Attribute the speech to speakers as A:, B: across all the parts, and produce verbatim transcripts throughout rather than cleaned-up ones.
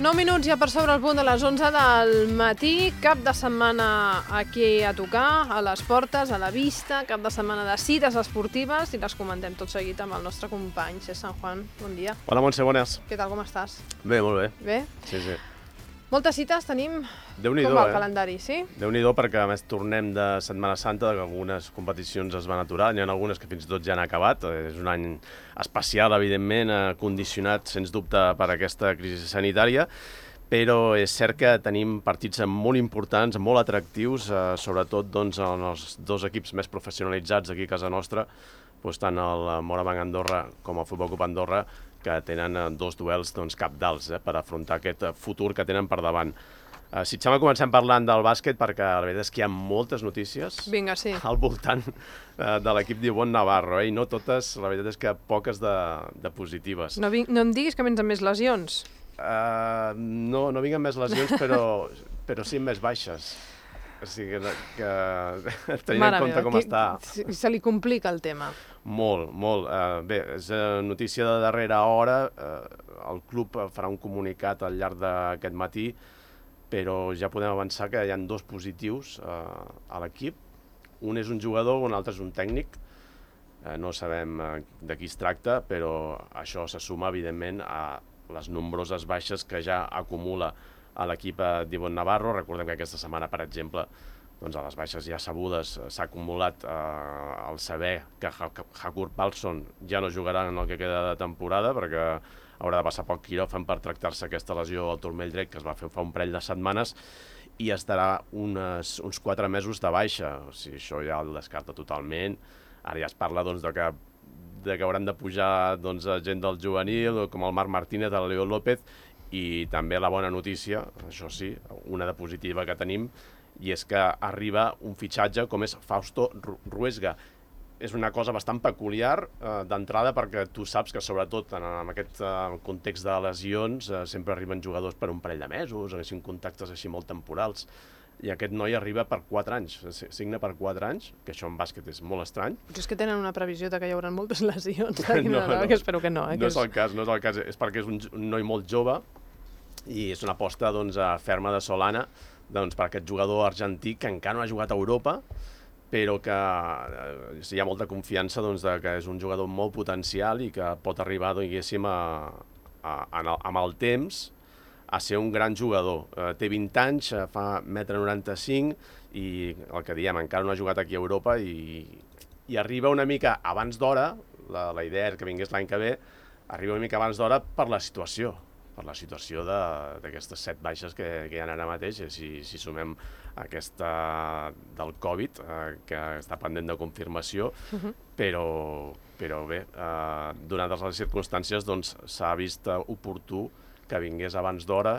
A: nou minuts ja per sobre el punt de les onze del matí, cap de setmana aquí a tocar, a les portes, a la vista, cap de setmana de cites esportives i les comentem tot seguit amb el nostre company, Cesc San Juan. Bon dia.
B: Hola, Montse, bones.
A: Què tal, com estàs?
B: Bé, molt bé.
A: Bé?
B: Sí, sí.
A: Moltes cites tenim?
B: Déu-n'hi-do,
A: Com va el
B: eh?
A: calendari, sí?
B: Déu-n'hi-do, perquè a més tornem de Setmana Santa, que algunes competicions es van aturar, n'hi ha algunes que fins i tot ja han acabat. És un any especial, evidentment, eh, condicionat, sens dubte, per aquesta crisi sanitària, però és cert que tenim partits molt importants, molt atractius, eh, sobretot doncs, en els dos equips més professionalitzats aquí a casa nostra, doncs, tant el Morabanc Andorra com el Futbol Club Andorra, que tenen eh, dos duels doncs, capdals eh, per afrontar aquest eh, futur que tenen per davant. Uh, si et sembla, comencem parlant del bàsquet, perquè la veritat és que hi ha moltes notícies
A: Vinga, sí.
B: al voltant uh, de l'equip d'Ivonne Navarro, eh? I no totes, la veritat és que poques de, de positives.
A: No, ving, no em diguis que vens amb més lesions.
B: Uh, no, no vinguen més lesions, però, però sí més baixes. O sigui que, que tenint
A: Mare
B: en compte
A: meva,
B: com
A: que,
B: està...
A: Se li complica el tema.
B: Molt, molt. Uh, bé, és uh, notícia de darrera hora. Uh, el club farà un comunicat al llarg d'aquest matí, però ja podem avançar que hi ha dos positius uh, a l'equip. Un és un jugador, un altre és un tècnic. Uh, no sabem uh, de qui es tracta, però això se suma, evidentment, a les nombroses baixes que ja acumula a l'equip d'Ivonne Navarro. Recordem que aquesta setmana, per exemple, doncs a les baixes ja sabudes s'ha acumulat eh, el saber que Hakur Palsson ja no jugarà en el que queda de temporada, perquè haurà de passar pel quiròfan per tractar-se aquesta lesió al turmell dret que es va fer fa un parell de setmanes, i estarà unes, uns quatre mesos de baixa. O sigui, això ja el descarta totalment. Ara ja es parla doncs, de que de que hauran de pujar doncs, gent del juvenil, com el Marc Martínez, el Leo López, i també la bona notícia, això sí, una de positiva que tenim, i és que arriba un fitxatge com és Fausto Ruesga. És una cosa bastant peculiar eh, d'entrada, perquè tu saps que sobretot en, en aquest eh, context de lesions eh, sempre arriben jugadors per un parell de mesos, o així, contactes així molt temporals, i aquest noi arriba per quatre anys, signa per quatre anys, que això en bàsquet és molt estrany.
A: Potser és que tenen una previsió de que hi haurà moltes lesions.
B: No,
A: no, no,
B: no,
A: que espero que no. Eh,
B: no
A: que
B: és el cas, no és el cas, és perquè és un, un noi molt jove, i és una aposta doncs, ferma de Solana doncs, per aquest jugador argentí que encara no ha jugat a Europa, però que eh, hi ha molta confiança doncs, de que és un jugador molt potencial i que pot arribar, diguéssim, a, a, a, amb el temps a ser un gran jugador. Eh, té vint anys, eh, fa un metro noranta-cinc i el que diem, encara no ha jugat aquí a Europa i, i arriba una mica abans d'hora, la, la idea era que vingués l'any que ve, arriba una mica abans d'hora per la situació, per la situació d'aquestes set baixes que, que hi ha ara mateix, si, si sumem aquesta del Covid, eh, que està pendent de confirmació, uh-huh. però, però bé, eh, donat les circumstàncies, doncs, s'ha vist oportú que vingués abans d'hora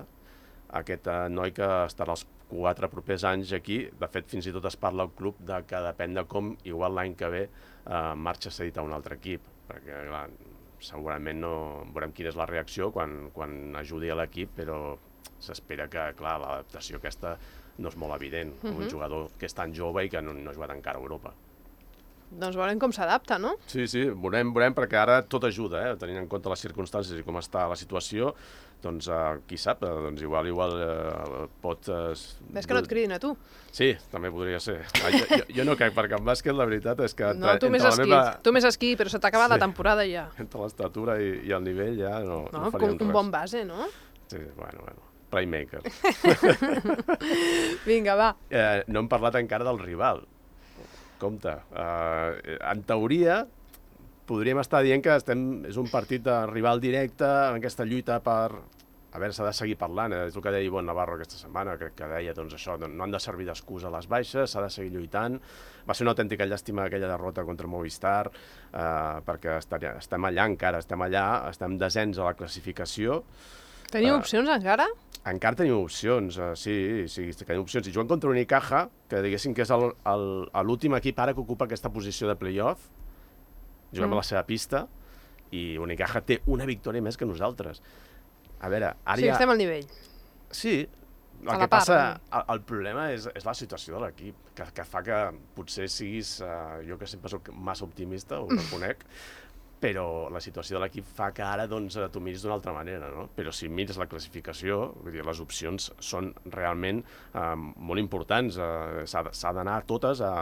B: aquest eh, noi que estarà els quatre propers anys aquí. De fet, fins i tot es parla al club de que depèn de com, igual l'any que ve, eh, marxa cedit a un altre equip, perquè clar, segurament no veurem quina és la reacció quan, quan ajudi a l'equip, però s'espera que, clar, l'adaptació aquesta no és molt evident. Uh-huh. Un jugador que és tan jove i que no, no ha jugat encara a Europa.
A: Doncs veurem com s'adapta, no?
B: Sí, sí, veurem, veurem, perquè ara tot ajuda, eh? Tenint en compte les circumstàncies i com està la situació, doncs eh, qui sap, eh, doncs igual, igual eh, pot... Eh,
A: Ves que no et cridin a tu.
B: Sí, també podria ser. Ah, jo, jo, jo no crec, perquè en bàsquet la veritat és que...
A: No, tu més esquí, meva... tu més esquí, però se t'ha acabat sí. la temporada ja.
B: Entre l'estatura i, i el nivell ja no,
A: no,
B: no faríem
A: un, un bon base, no?
B: Sí, bueno, bueno. Playmaker.
A: Vinga, va.
B: Eh, no hem parlat encara del rival. Compte, uh, en teoria podríem estar dient que estem, és un partit de rival directe en aquesta lluita per... A veure, s'ha de seguir parlant, eh? És el que deia Ivonne Navarro aquesta setmana, que, que deia doncs, això, no han de servir d'excusa a les baixes, s'ha de seguir lluitant. Va ser una autèntica llàstima aquella derrota contra Movistar, eh, perquè estem allà encara, estem allà, estem desens a la classificació.
A: Teniu uh, opcions encara?
B: Encara tenim opcions, uh, sí, sí, tenim opcions. I juguen contra Unicaja, que diguéssim que és l'últim equip ara que ocupa aquesta posició de play-off, juguem mm. a la seva pista, i Unicaja té una victòria més que nosaltres. A veure, ara
A: sí,
B: ja...
A: estem al nivell.
B: Sí, el
A: a
B: que
A: la part,
B: passa,
A: no?
B: el, el problema és, és la situació de l'equip, que, que fa que potser siguis, uh, jo que sempre soc massa optimista, ho reconec, però la situació de l'equip fa que ara doncs, t'ho miris d'una altra manera, no? Però si mires la classificació, vull dir, les opcions són realment eh, molt importants. Eh, s'ha d'anar totes a,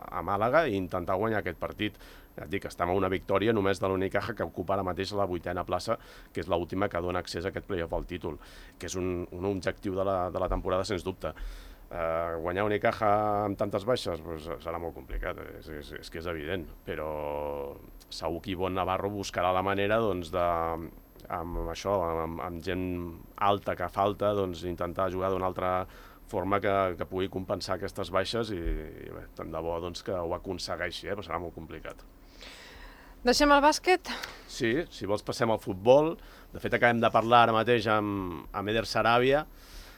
B: a Màlaga i intentar guanyar aquest partit. Ja et dic, estem a una victòria només de l'Unicaja, que ocupa ara mateix la vuitena plaça, que és l'última que dona accés a aquest play-off al títol, que és un, un objectiu de la, de la temporada, sens dubte. Uh, guanyar Unicaja amb tantes baixes pues, serà molt complicat, és, és, és que és evident, però segur que Ivonne Navarro buscarà la manera doncs, de, amb això, amb, amb gent alta que falta, doncs, intentar jugar d'una altra forma que, que pugui compensar aquestes baixes i, i bé, tant de bo doncs, que ho aconsegueixi, eh? Però serà molt complicat.
A: Deixem el bàsquet? Sí,
B: si vols passem al futbol. De fet, acabem de parlar ara mateix amb, amb Eder Sarabia,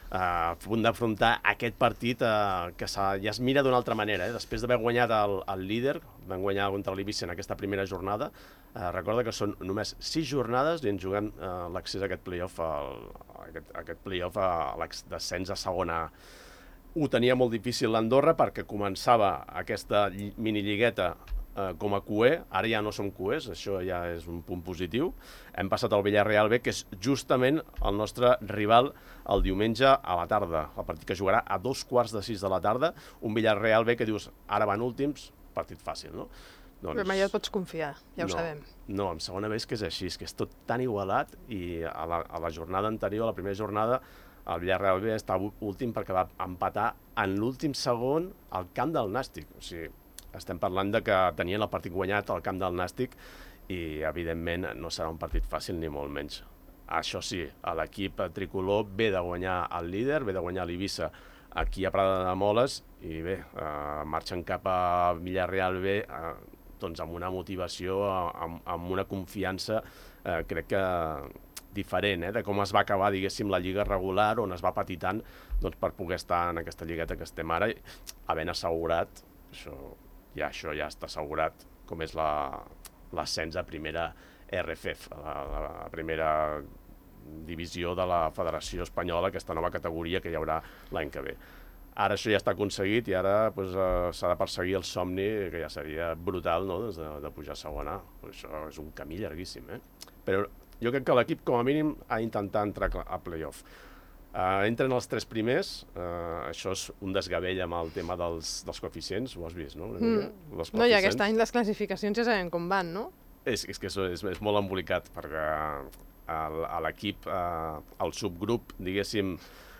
B: Uh, a punt d'afrontar aquest partit uh, que ja es mira d'una altra manera. Eh? Després d'haver guanyat el, el líder, van guanyar contra l'Eivissa en aquesta primera jornada, uh, recorda que són només sis jornades i ens juguen uh, l'accés a aquest play-off, al, a aquest, a aquest play-off a descens a segona A. Ho tenia molt difícil l'Andorra perquè començava aquesta minilligueta Uh, com a Q E, ara ja no som Q Es, això ja és un punt positiu. Hem passat al Villarreal B, que és justament el nostre rival el diumenge a la tarda, el partit que jugarà a dos quarts de sis de la tarda, un Villarreal B que dius, ara van últims, partit fàcil, no?
A: Doncs... Però mai et pots confiar, ja ho
B: no,
A: sabem.
B: No, en segona B és que és així, és que és tot tan igualat i a la, a la jornada anterior, a la primera jornada, el Villarreal B està últim perquè va empatar en l'últim segon al camp del Nàstic, o sigui, estem parlant de que tenien el partit guanyat al camp del Nàstic i, evidentment, no serà un partit fàcil ni molt menys. Això sí, l'equip tricolor ve de guanyar el líder, ve de guanyar l'Eivissa aquí a Prada de Moles i bé, eh, marxen cap a Villarreal B eh, doncs amb una motivació, amb, amb una confiança, eh, crec que diferent, eh, de com es va acabar, diguéssim, la lliga regular, on es va patir tant doncs, per poder estar en aquesta lligueta que estem ara, havent assegurat, això ja això ja està assegurat, com és l'ascens a primera R F F, la, la primera divisió de la Federació Espanyola, aquesta nova categoria que hi haurà l'any que ve. Ara això ja està aconseguit i ara pues, uh, s'ha de perseguir el somni, que ja seria brutal, no?, de, de pujar a segona A. Això és un camí llarguíssim, eh? Però jo crec que l'equip, com a mínim, ha d'intentar entrar a play-off. Uh, entren els tres primers, uh, això és un desgavell amb el tema dels, dels coeficients, ho has vist, no?
A: Mm. No, i aquest any les classificacions ja sabem com van, no?
B: És, és que és, és, és molt embolicat, perquè a l'equip, uh, el subgrup, diguéssim,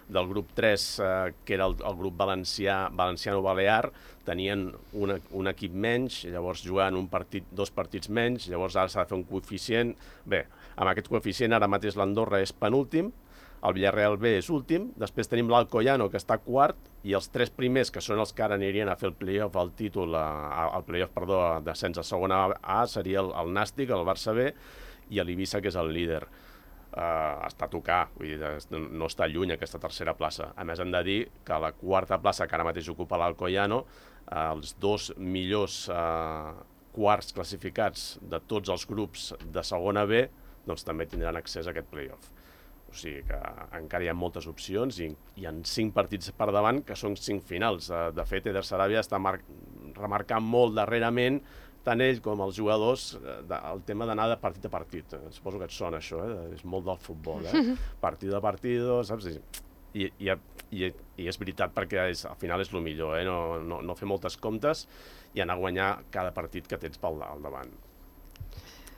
B: del grup tres, uh, que era el, el grup valencià, valenciano-balear, tenien un, un equip menys, llavors jugant un partit, dos partits menys, llavors ara s'ha de fer un coeficient. Bé, amb aquest coeficient ara mateix l'Andorra és penúltim, el Villarreal B és últim, després tenim l'Alcoyano, que està quart, i els tres primers, que són els que ara anirien a fer el play-off, el títol, el play-off, perdó, descens a segona A, seria el, el Nàstic, el Barça B, i l'Eivissa, que és el líder. Uh, està a tocar, vull dir, no està lluny aquesta tercera plaça. A més, hem de dir que la quarta plaça, que ara mateix ocupa l'Alcoyano, uh, els dos millors uh, quarts classificats de tots els grups de segona B, doncs també tindran accés a aquest play-off. O sigui que encara hi ha moltes opcions i hi ha cinc partits per davant que són cinc finals. De fet, Eder Sarabia està remarcant molt darrerament, tant ell com els jugadors, el tema d'anar de partit a partit. Suposo que et sona això, eh? És molt del futbol, eh? Partido a partido, saps? I, i, i, i és veritat perquè és, al final és el millor, eh? No, no, no fer moltes comptes i anar a guanyar cada partit que tens pel al davant.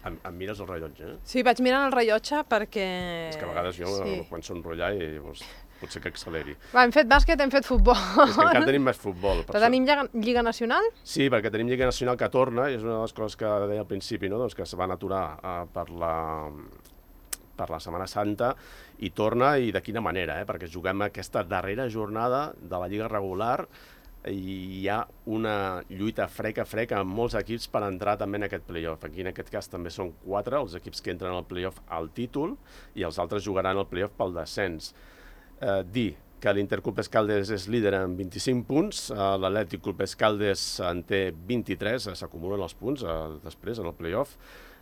B: Em, em mires el rellotge, eh?
A: Sí, vaig mirant el rellotge perquè...
B: És que a vegades jo sí. Quan s'enrotllar i doncs, potser que acceleri.
A: Va, hem fet bàsquet, hem fet futbol.
B: És que encara tenim més futbol.
A: Però tenim Lliga, Lliga Nacional?
B: Sí, perquè tenim Lliga Nacional que torna, i és una de les coses que deia al principi, no? Doncs que es van aturar uh, per, la, per la Setmana Santa i torna, i de quina manera, eh? Perquè juguem aquesta darrera jornada de la Lliga regular i hi ha una lluita frec a frec amb molts equips per entrar també en aquest play-off. Aquí en aquest cas també són quatre els equips que entren al play-off al títol i els altres jugaran al play-off pel descens. Eh, dir que l'Interclub Escaldes és líder amb vint-i-cinc punts, eh, l'Atlètic Club Escaldes en té vint-i-tres, eh, s'acumulen els punts eh, després en el play-off.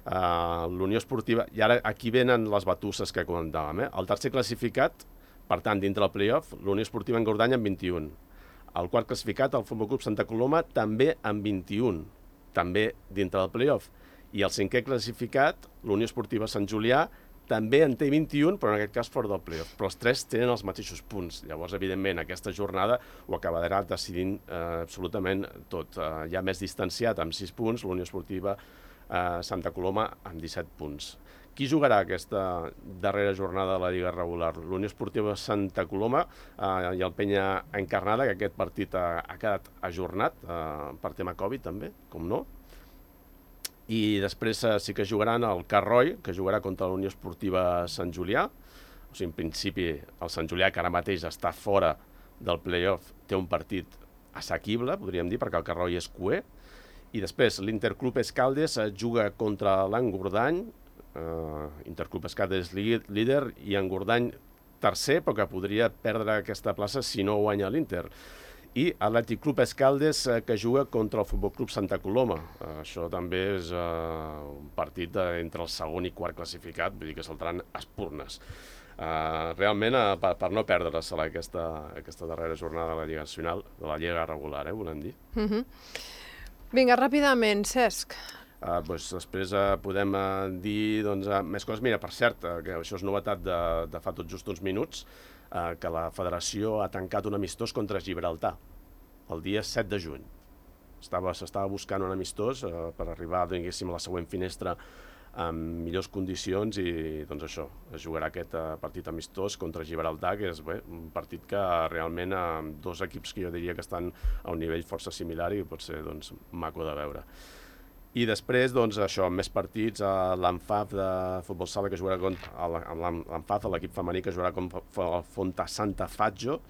B: Uh, l'Unió Esportiva, i ara aquí venen les batusses que comentàvem, eh? El tercer classificat, per tant, dintre del play-off, l'Unió Esportiva en Gordanya amb vint-i-un. El quart classificat, el Futbol Club Santa Coloma, també amb vint-i-un, també dintre del play-off. I el cinquè classificat, l'Unió Esportiva Sant Julià, també en té vint-i-un, però en aquest cas fora del playoff. Però els tres tenen els mateixos punts. Llavors, evidentment, aquesta jornada ho acabarà decidint eh, absolutament tot. Eh, ja més distanciat, amb sis punts, l'Unió Esportiva eh, Santa Coloma amb disset punts. Qui jugarà aquesta darrera jornada de la Lliga regular? L'Unió Esportiva Santa Coloma eh, i el Penya Encarnada, que aquest partit ha, ha quedat ajornat eh, per tema Covid també, com no. I després eh, sí que jugaran el Carroi, que jugarà contra la Unió Esportiva Sant Julià. O sigui, en principi, el Sant Julià, que ara mateix està fora del play-off, té un partit assequible, podríem dir, perquè el Carroi és cuer. I després l'Interclub Escaldes eh, juga contra l'Engordany. Eh, Interclub Escaldes líder i Engordany tercer, però que podria perdre aquesta plaça si no guanya l'Inter. I Atlètic Club Escaldes, eh, que juga contra el Futbol Club Santa Coloma. Eh, això també és eh, un partit eh, entre el segon i quart classificat, vull dir que saltaran espurnes. Eh, realment, eh, per, per no perdre-se aquesta, aquesta darrera jornada de la Lliga Nacional, de la Lliga regular, eh, volem dir.
A: Uh -huh. Vinga, ràpidament, Cesc.
B: Uh, doncs després uh, podem uh, dir doncs, uh, més coses. Mira, per cert, uh, que això és novetat de, de fa tot just uns minuts, uh, que la federació ha tancat un amistós contra Gibraltar el dia set de juny. S'estava buscant un amistós uh, per arribar, diguéssim, a la següent finestra amb millors condicions i doncs això, es jugarà aquest uh, partit amistós contra Gibraltar, que és bé, un partit que realment amb uh, dos equips que jo diria que estan a un nivell força similar i pot ser doncs, maco de veure. I després, doncs, això, amb més partits, l'Anfaf de futbol sala que jugarà contra l'Anfaf, l'equip femení que jugarà contra el Fonta Santa Faggio,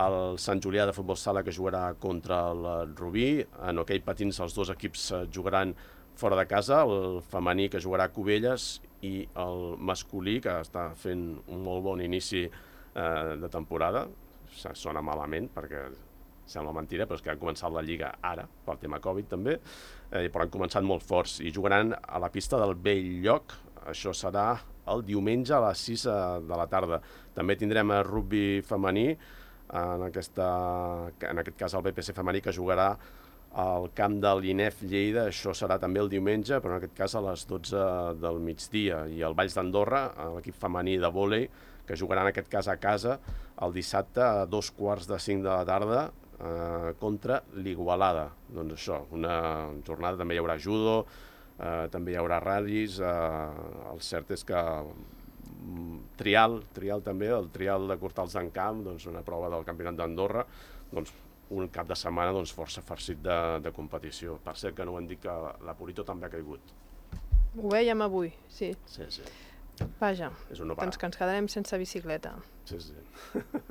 B: el Sant Julià de futbol sala que jugarà contra el Rubí, en hoquei patins els dos equips jugaran fora de casa, el femení que jugarà a Cubelles i el masculí que està fent un molt bon inici eh, de temporada. Sona malament perquè sembla mentira, però és que han començat la Lliga ara, pel tema Covid també, eh, però han començat molt forts i jugaran a la pista del Bell Lloc. Això serà el diumenge a les sis de la tarda. També tindrem el rugby femení, en, aquesta, en aquest cas el B P C femení, que jugarà al camp de l'I N E F Lleida. Això serà també el diumenge, però en aquest cas a les dotze del migdia. I el Valls d'Andorra, l'equip femení de vòlei, que jugarà en aquest cas a casa el dissabte a dos quarts de cinc de la tarda, Eh, contra l'Igualada. Doncs això, una jornada, també hi haurà judo, eh, també hi haurà ral·lis, eh, el cert és que mm, trial, trial també, el trial de Cortals d'en Camp, doncs una prova del Campionat d'Andorra, doncs un cap de setmana doncs, força farcit de, de competició. Per cert que no ho han dit que la Purito també ha caigut.
A: Ho veiem avui, sí.
B: Sí, sí.
A: Vaja,
B: és un no
A: doncs que ens quedarem sense bicicleta.
B: Sí, sí.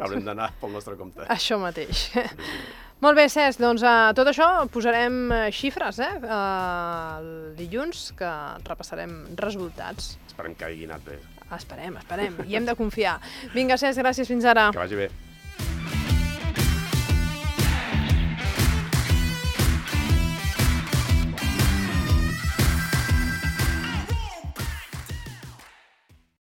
B: Haurem d'anar pel nostre compte.
A: Això mateix. Sí, sí. Molt bé, Cesc, doncs a tot això posarem xifres, eh? El dilluns, que repassarem resultats.
B: Esperem que hagi anat bé.
A: Esperem, esperem, i hem de confiar. Vinga, Cesc, gràcies, fins ara.
B: Que vagi bé.